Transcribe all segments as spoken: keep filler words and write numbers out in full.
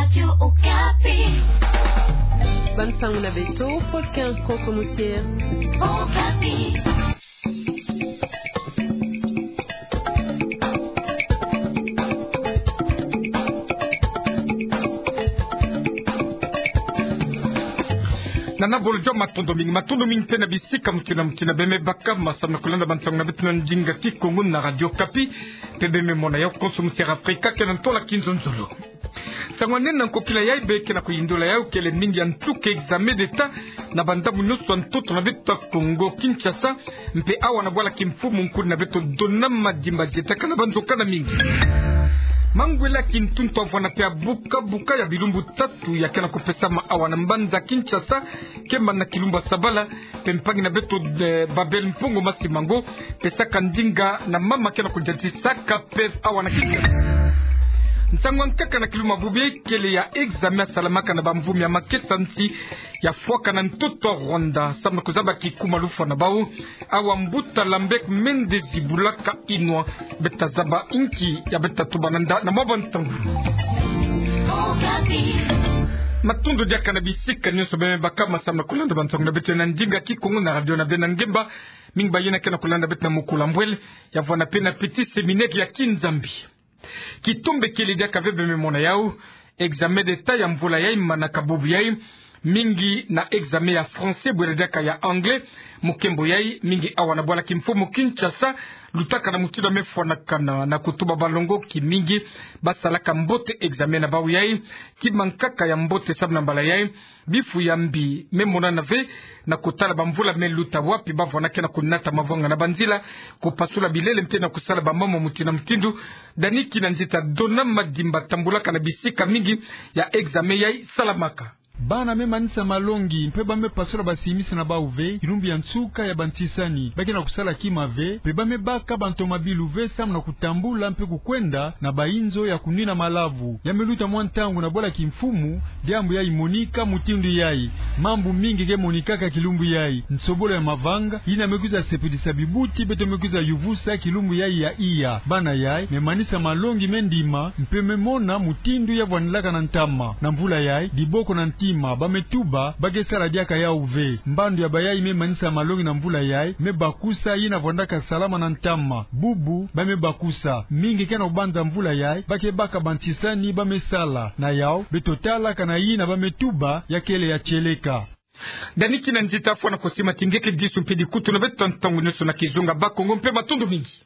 Radio Okapi. Bansango na beto, Paul Ken Konso Musier. Okapi. Nana Bolodjo, matondo mingi, matondo mingi mpe na bisika mutindu na mutindu beme baka, samu na kulanda bansango na beto na ndinga Kikongo na Radio Okapi, mpe beme mona yau Konso Musier Afrika, kena ntola kinzonzolo. Nsango nene na nkokila yai beke na kuyindola yau kele mingi ya ntuka examen d'État na bandambu nyonso ya ntoto na beto ya Kongo Kinshasa, mpe awa na bwala kimfumu nkulu na beto Donat Madimba Zietaka na banzoka na mingi. Mangwele ya kintuntu avwanda mpe ya buka buka ya bilumbu tatu ya ke na kupesama awa na mbanza Kinshasa, kemba na kilumbu ya sabala, mpe mpangi na beto, eh, Babel Mpongo Masimango, pesaka ndinga na mama ke na kudiatisaka peve awa na Kinshasa. Nsango ya nkaka na kilumbu ya bubu kele ya examen ya salamaka na bamvumi ya makesa nsi ya fwaka na ntoto ya Rwanda, samu na kuzaba kikuma lufwa na bau. Awa mbuta Lambert Mende Zibulaka Inwa, beta zaba inki ya beta tuba na nda na mwa bantangu. Matondo diaka na bisika nyonso beme baka, samu na kulanda bansango na beto na ndinga Kikongo na radio na beno ngemba. Mingi ba yina ke na kulanda beto na mukula mbwele, ya vwanda mpe na Petit Séminaire ya Kinzambi. Kitombe kele diaka ve beme mona yau, examen d'État ya mvula yai manaka bubu yai, mingi na examen ya français bwele diaka ya anglais, mukembo yai, mingi awa na bwala kimfumu Kinshasa, lutaka na mutindu ya me fwanakana na kutuba balongoki mingi basalaka mbote examen na bau yai. Kima nkaka ya mbote samu na mbala yai, bifu ya mbi me monana ve na kutala bamvula me luta, wapi ba vwanda ke na kunata mavwanga na banzila, kupasula bilele mpe na kusala bamambu mutindu na mutindu. Dani Kinanzita, Donat Madimba, tambulaka na bisika mingi ya examen yai salamaka. Bana me manisa malongi mpe ba me pasula basimisi na bau ve kilumbu ya nsuka ya bantisani. Ba ke na kusala kima ve, mpe ba me baka bantomabilu ve samu na kutambula mpe kukwenda na bainzo ya kunwina malavu. Ya me luta mwa ntangu na bwala kimfumu, diambu yai monika mutindu yai. Mambu mingi ke monikaka kilumbu yai. Nsobolo ya mavanga, yina me kwiza sepelisa bibuti beto me kwiza yuvusa kilumbu yai ya iya. Bana yai me manisa malongi, me ndima, mpe me mona mutindu ya vwandilaka na ntama. Na mvula yai, diboko na ntima, ba me tuba ba ke sala diaka yau ve. Mbandu ya bayai me manisa malongi na mvula yai me bakusa yina vwandaka salama na ntama. Bubu ba me bakusa. Mingi ke na kubanza mvula yai ba ke baka bantisani ba me sala. Na yau, beto talaka na yina ba me tuba, ya kele ya tieleka. Dani Kinanzita, fwana kusimati nge ke disu mpe dikutu na beto ntangu nyonso na kizunga Bakongo, mpe matondo mingi.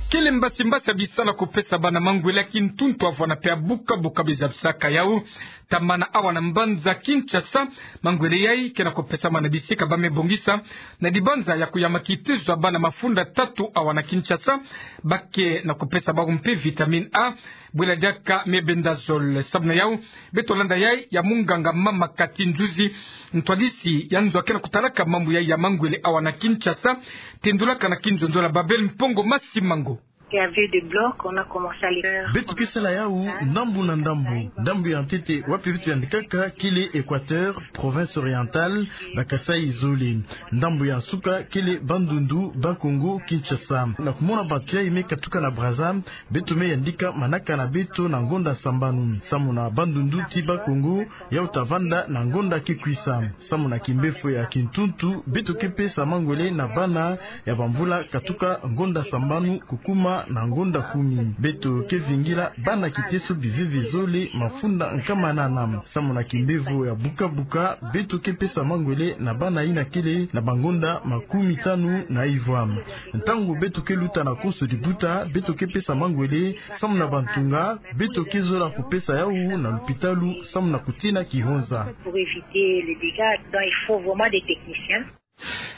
Kele mbasi mbasi ya bisalu ya kupesa bana mangwele ya kintuntu ya vwanda mpe ya buka buka bizabisaka yau, tamana awa na mbanza Kinshasa. Mangwele yai ke na kupesama na bisika ba me bongisa na dibanza ya kuyama kitezo ya bana mafunda tatu awa na Kinshasa. Ba ke na kupesa bau mpe vitamine A, bwela diaka mebendazole. Samu na yau, beto landa yai ya munganga mama Cathy Nzuzi, ntwadisi ya nzo ya ke na kutalaka mambu yai ya mangwele awa na Kinshasa, tendulaka na kinzonzolo ya Babel Mpongo Masimango. Il y avait des blocs, on a commencé à les faire. Beto ke sala yau ndambu na ndambu. Ndambu ya ntete wapi beto yandikaka kele Équateur, province orientale, ba Kasaï zole. Ndambu ya nsuka kele Bandundu, Bas-Congo, Kinshasa. Na kumona bantu yai me katuka na Brazza, beto me yandika manaka na beto na ngonda sambanu. Samu na Bandundu ti Bas-Congo, yau ta vanda na ngonda ke kwisa. Samu na kimbefo ya kintuntu, beto ke pesa mangwele na bana ya bamvula katuka ngonda sambanu kukuma na ngonda kumi. Beto ke vingila bana kiteso biveve zole mafunda nkama nana. Samu na kimbefo ya buka buka, beto ke pesa mangwele na bana yina kele na bangonda makumi tanu na ivwa. Ntangu beto ke luta na konso dibuta, beto ke pesa mangwele. Samu na bantunga, beto ke zola kupesa yau na lupitalu, samu na kutina kihonza. Pour éviter les dégâts, donc il faut vraiment des techniciens.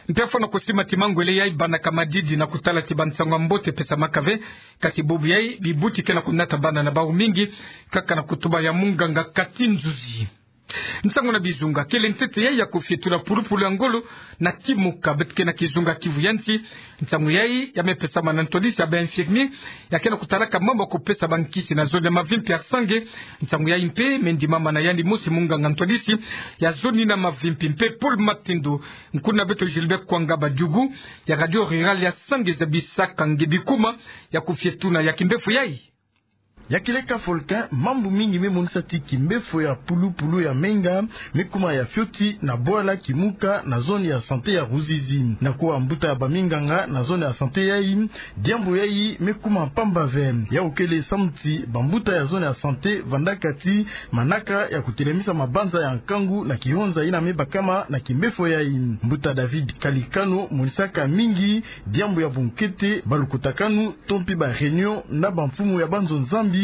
Mpe fwana kusimati mangwele yai banaka madidi na kutala ti bansangu ya mbote pesamaka ve, kasi bubu yai bibuti ke na kunata bana na bau mingi, kaka na kutuba ya munganga Cathy Nzuzi. Nsangu na bizunga, kele ntete yai ya kufietula pulupulu ya ngolo na kimoka beto ke na kizunga Kivu ya nsi. Nsangu yai ya me pesama na ntwadisi ya ba infirmier ya ke na kutalaka mambu ya kupesa bankisi na zone ya Mavimpi ya Sange. Nsangu yai mpe me ndimama na yandi mosi munganga ntwadisi ya zone na Mavimpi, mpe Paul Matendo. Nkuna beto Gilbert Kwanga Badiugu ya Radio Rurale ya Sange zabisaka nge bikuma ya kufietuna ya kimbefo yai. Ya kieleka Volcan, mambu mingi me monisa ti kimbefo ya pulupulu ya menga me kuma ya fioti na bwala Kimuka na zone ya santé ya Ruzizi. Na kuwa mbuta ya baminganga na zone ya santé yayi, diambu yayi me kuma mpamba ve. Yau kele samu ti bambuta ya zone ya santé vandaka ti manaka ya kutelemisa mabanza ya nkangu na kihonza yina me bakama na kimbefo yayi. Mbuta David Kalikano monisaka mingi diambu ya bunkete, balukutakanu to mpi ba réunion na bamfumu ya banzo Nzambi,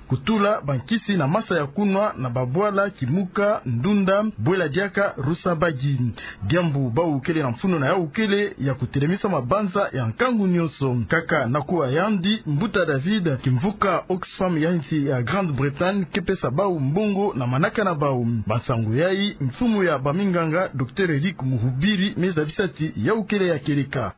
kutula bankisi na masa ya kunwa na babwala Kimuka, Ndunda, Bwela Diaka, Rusabagi. Diambu bau kele na mfunu na yau kele ya kutelemisa mabanza ya nkangu nyonso. Kaka na kuwa yandi, mbuta David, kimvuka Oxfam ya nsi ya Grande-Bretagne ke pesa bau mbongo na manaka na bau. Bansangu yayi, mfumu ya baminganga, Docteur Eric Muhubiri, me zabisa ti yau kele ya kieleka.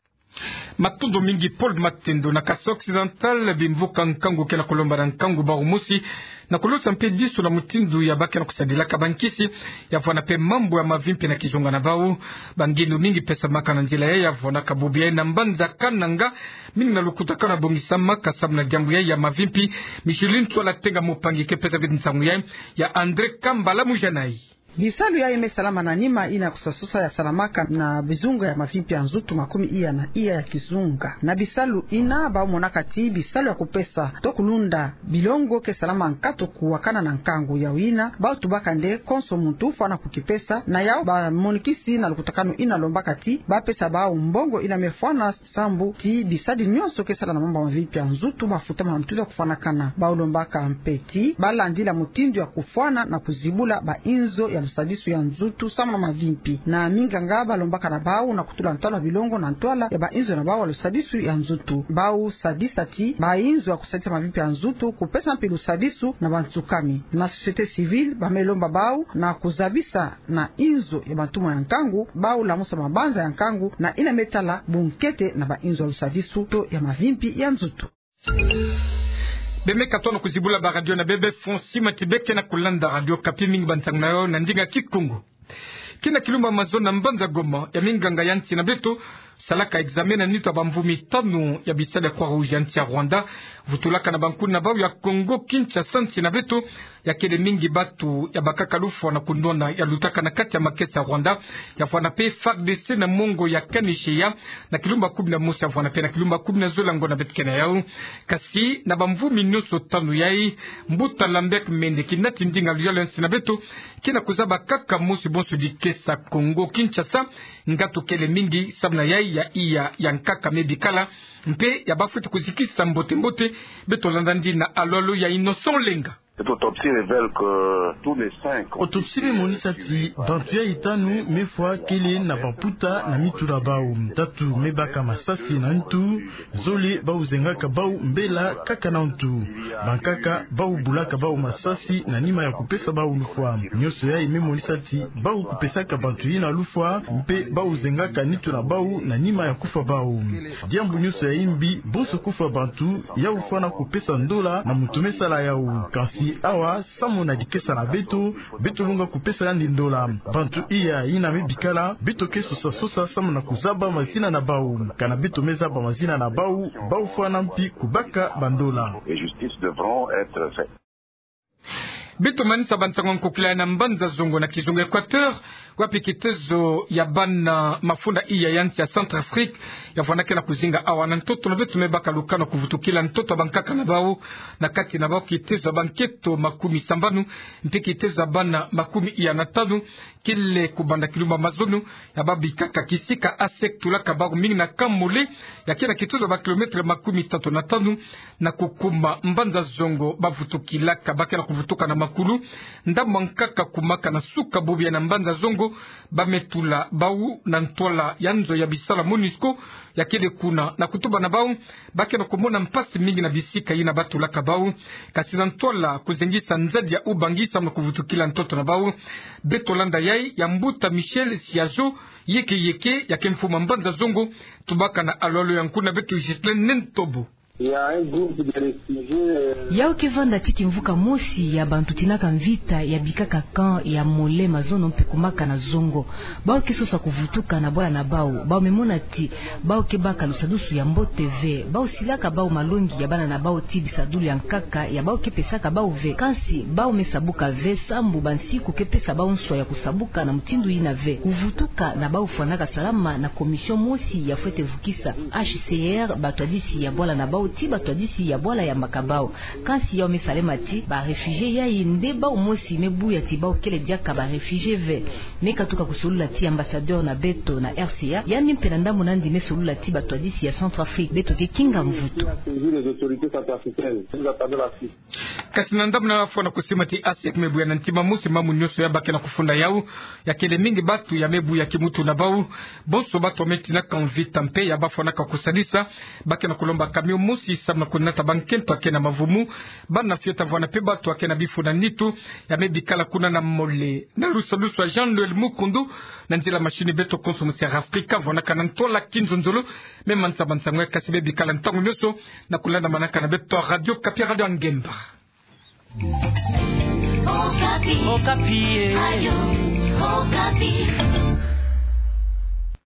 Matondo mingi Paul Matendo. Na Kasaï Occidental, bimvuka nkangu ke na kulomba na nkangu bau mosi na kulusa mpe disu na mutindu ya ba ke na kusadilaka bankisi, ya vwanda mpe mambu ya mavimpi na kizunga na bau. Bangindu mingi pesamaka na nzila yayi, ya vwandaka bubu yayi na mbanza Kananga, mingi na lukutakanu ya bongisamaka samu na diambu yayi ya mavimpi. Micheline Tuala Tenga Mupangi ke pesa bitu nsangu yayi, ya André Kambala Mujanai. Bisalu yayi me salama na nima yina kusasosa ya salamaka na bizunga ya mavimpi ya nzutu makumi iya na iya ya kizunga. Na bisalu yina bau monaka ti bisalu ya kupesa to kulunda bilongo ke salama nkatu kuwakana na nkangu. Yau yina bau tubaka nde konso muntu fwana kukipesa. Na yau bamonikisi na lukutakanu yina lombaka ti ba pesa bau mbongo yina me fwana sambu ti bisadi nyonso ke sala na mambu ya mavimpi ya nzutu bafutama na mutindu ya kufwanakana. Bau lombaka mpe ti ba landila mutindu ya kufwana na kuzibula bainzo ya lusadisu ya nzutu samu na mavimpi. Na minganga balombaka na bau na kutula ntwala bilongo na ntwala ya bainzo na bau ya lusadisu ya nzutu. Bau sadisa ti bainzo ya kusadisa mavimpi ya nzutu, kupesa mpe lusadisu na bansukami. Na société civile ba me lomba bau na kuzabisa na inzo ya bantumwa ya nkangu, bau lamusa mabanza ya nkangu na yina me tala bunkete na bainzo ya lusadisu to ya mavimpi ya nzutu. Bemeka tona kuzibula baradio na bebe, Fonsi Matibe ke na kulanda Radio Okapi. Mingi bansangu na yo na ndinga Kikongo. Kina kilumbu mazono na mbanza Goma, ya minganga ya nsi na beto salaka examen na nitu ya bamvumi tanu ya bisalu ya Croix-Rouge ya nsi ya Rwanda, vutulaka na bankuna na bau ya Congo Kinshasa. Nsi na beto ya kele mingi batu ya bakaka lufwa na kunwana ya lutaka na kati ya makesa ya Rwanda, ya vwanda mpe FARDC na mongo ya Kanicheya, na kilumbu kumi na mosi ya vwanda mpe na kilumbu kumi na zole ya ngonda beto ke na yau. Kasi na bamvumi nyonso tanu yayi, mbuta Lambert Mende, kinati ndinga luyalu ya nsi na beto, kina kuzaba kaka mosi bonso dikesa Congo Kinshasa, ngatu kele mingi samu na yayi ya iya ya nkaka me bikala, mpe ya bafweti kuzikisa mbote-mbote. Beto landa ndina alolo ya Innocent Lenga. Cette autopsie révèle que tous les cinq ont été tués. Autopsie me monisa ti bantu yayi tanu me fwa kele na bamputa na mitu na bau. Tatu me baka masasi na ntu, zole bau zengaka bau mbela kaka na ntu. Bankaka bau bulaka bau masasi na nima ya kupesa bau lufwa. Nyonso yayi me monisa ti bau kupesaka bantu yina lufwa, mpe bau zengaka nitu na bau na nima ya kufwa bau. Diambu nyonso ya yimbi, bonso kufwa bantu, yau fwana kupesa ndola na muntu me sala yau. Kansi awa, samu na dikesa na beto, beto longa kupesa yandi ndola. Bantu iya yina me bikala, beto ke sosa-sosa samu na kuzaba mazina na bau. Kana beto me zaba mazina na bau, bau fwana mpi kubaka bandola. Et justice devront être faite. Beto manisa bansangu ya nkokila na mbanza Zongo na kizunga Équateur, wapi kitezo ya bana mafunda iya ya nsi ya Centrafrique ya vwandaka na kuzinga awa. Na ntoto na beto me baka lukanu kuvutukila ntoto ya bankaka na bau, na kati na bau kitezo ya banketo makumi sambanu, mpe kitezo ya bana makumi iya na tanu, kele kubanda kilumbu mazono ya babikaka kisika A S E C tulaka bau mingi na Kamole, ya ke na kitezo ya ba kilomètre makumi tatu na tanu, na kukuma mbanza Zongo. Bavutukilaka, ba ke na kuvutuka na makulu, ndambu ya nkaka kumaka na suka bubu ya na mbanza Zongo, ba me tula bau na ntwala ya nzo ya bisalu ya MONUSCO, ya kele kuna na kutuba na bau, ba ke na kumona mpasi mingi na bisika yina ba tulaka bau. Kasi na ntwala kuzengisa nzadi ya ubangi samu na kuvutukila ntoto na bau. Beto landa yayi ya mbuta Michel Siazo, yeke-yeke, ya ke mfumu ya mbanza Zongo, tubaka na alolo ya nkuna beto Ghislain Nentobo. Yau ke vanda ti kimvuka mosi ya bantu tinaka mvita ya bikaka camp ya Mole, Mazono mpe Kumaka na Zongo. Bau ke sosa kuvutuka na bwala na bau. Bau me mona ti bau ke baka lusadusu ya mbote ve. Bau silaka bau malongi ya bana na bau ti bisadulu ya nkaka ya bau ke pesaka bau ve. Kansi bau me sabuka ve sambu bansiku ke pesa bau nswa ya kusabuka na mutindu yina ve. Kuvutuka na bau fwanaka salama na commission mosi ya fwete vukisa. H C R batwadisi ya bwala na bau ti batwadisi ya bwala ya mbaka bau. Kansi yau me salema ti ba réfugiés yayi nde bau mosi me buya ti bau kele diaka ba réfugiés ve. Me katuka kusolula ti ambassadeur na beto na R C A, yandi mpe na ndambu nandi me solula ti batwadisi ya Centrafrique, beto ke kinga mvutu. Kasi na ndambu na fwana kusima ti A S E C me buya na ntima mosi mamu nyonso ya ba ke na kufunda yau, ya kele mingi batu ya me buya kimutu na bau. Bonso batu me tinaka mvita mpe ya ba fwanaka kusadisa, ba ke na kulomba camion mosi samu na kunata bankento ya ke na mavumu, bana fiota vwana mpe batu ya ke na bifu na nitu, ya me bikala kuna na Mole. Na lusadusu ya Jean Noël Mukundu, na nzila machine beto konso mu Sierra Africa, vwanaka na ntola kinzonzolo, me mansa mansa ngwe kasi be bikala ntangu nyonso na kulanda manaka na beto Radio Okapi, Radio ya Ngemba. Okapi. Okapi, eh.